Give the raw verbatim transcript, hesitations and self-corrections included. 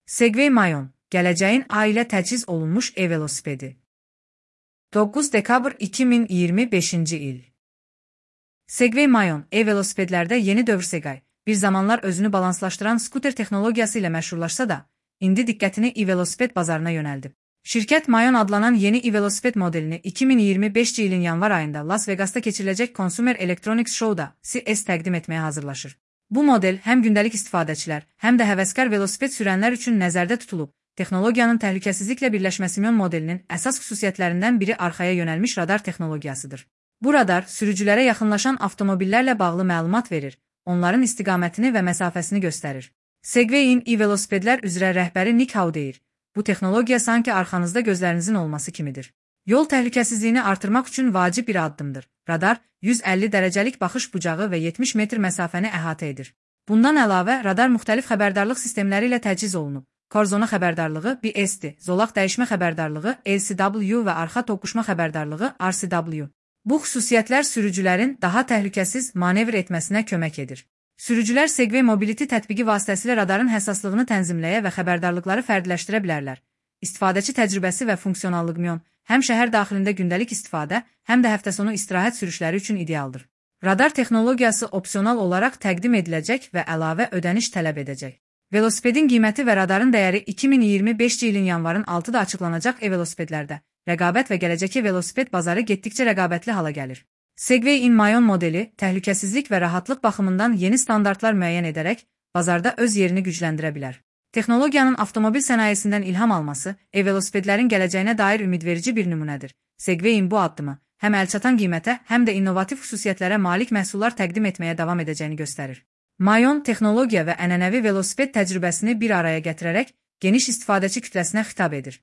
Segway Mayon, gələcəyin ailə təchiz olunmuş e-velosipedi. doqquz dekabr iki min iyirmi beşinci il. Segway Mayon, e-velosipedlərdə yeni dövr Segway, bir zamanlar özünü balanslaşdıran skuter texnologiyası ilə məşhurlaşsa da, indi diqqətini e-velosiped bazarına yönəldib. Şirkət Mayon adlanan yeni e-velosiped modelini iki min iyirmi beşinci ilin yanvar ayında Las Vegas'ta keçiriləcək Consumer Electronics Show'da C E S təqdim etməyə hazırlaşır. Bu model həm gündəlik istifadəçilər, həm də həvəskar velosiped sürənlər üçün nəzərdə tutulub. Texnologiyanın təhlükəsizliklə birləşməsi Mayon modelinin əsas xüsusiyyətlərindən biri arxaya yönəlmiş radar texnologiyasıdır. Bu radar sürücülərə yaxınlaşan avtomobillərlə bağlı məlumat verir, onların istiqamətini və məsafəsini göstərir. Segway'in e-velosipedlər üzrə rəhbəri Nick Howe deyir, bu texnologiya sanki arxanızda gözlərinizin olması kimidir. Yol təhlükəsizliyini artırmaq üçün vacib bir addımdır. Radar, yüz əlli dərəcəlik baxış bucağı və yetmiş metr məsafəni əhatə edir. Bundan əlavə, radar müxtəlif xəbərdarlıq sistemləri ilə təchiz olunub. Korzona xəbərdarlığı B S-dir, zolaq dəyişmə xəbərdarlığı L C W və arxa toqquşma xəbərdarlığı R C W. Bu xüsusiyyətlər sürücülərin daha təhlükəsiz manevr etməsinə kömək edir. Sürücülər Segway Mobility tətbiqi vasitəsilə radarın həssaslığını tənzimləyə və xəbərdarlıqları fərdləşdirə bilərlər. İstifadəçi təcrübəsi və funksionallıq Mayon həm şəhər daxilində gündəlik istifadə, həm də həftə sonu istirahət sürüşləri üçün idealdır. Radar texnologiyası opsional olaraq təqdim ediləcək və əlavə ödəniş tələb edəcək. Velosipedin qiyməti və radarın dəyəri iki min iyirmi beşinci ilin yanvarın altıda açıqlanacaq e-velosipedlərdə. Rəqabət və gələcəki velosiped bazarı getdikcə rəqabətli hala gəlir. Segway in Mayon modeli təhlükəsizlik və rahatlıq baxımından yeni standartlar müəyyən edərək bazarda öz yerini gücləndirə bilər. Texnologiyanın avtomobil sənayesindən ilham alması e-velosipedlərin gələcəyinə dair ümidverici bir nümunədir. Segway'in bu addımı həm əlçatan qiymətə, həm də innovativ xüsusiyyətlərə malik məhsullar təqdim etməyə davam edəcəyini göstərir. Mayon texnologiya və ənənəvi velosiped təcrübəsini bir araya gətirərək geniş istifadəçi kütləsinə xitab edir.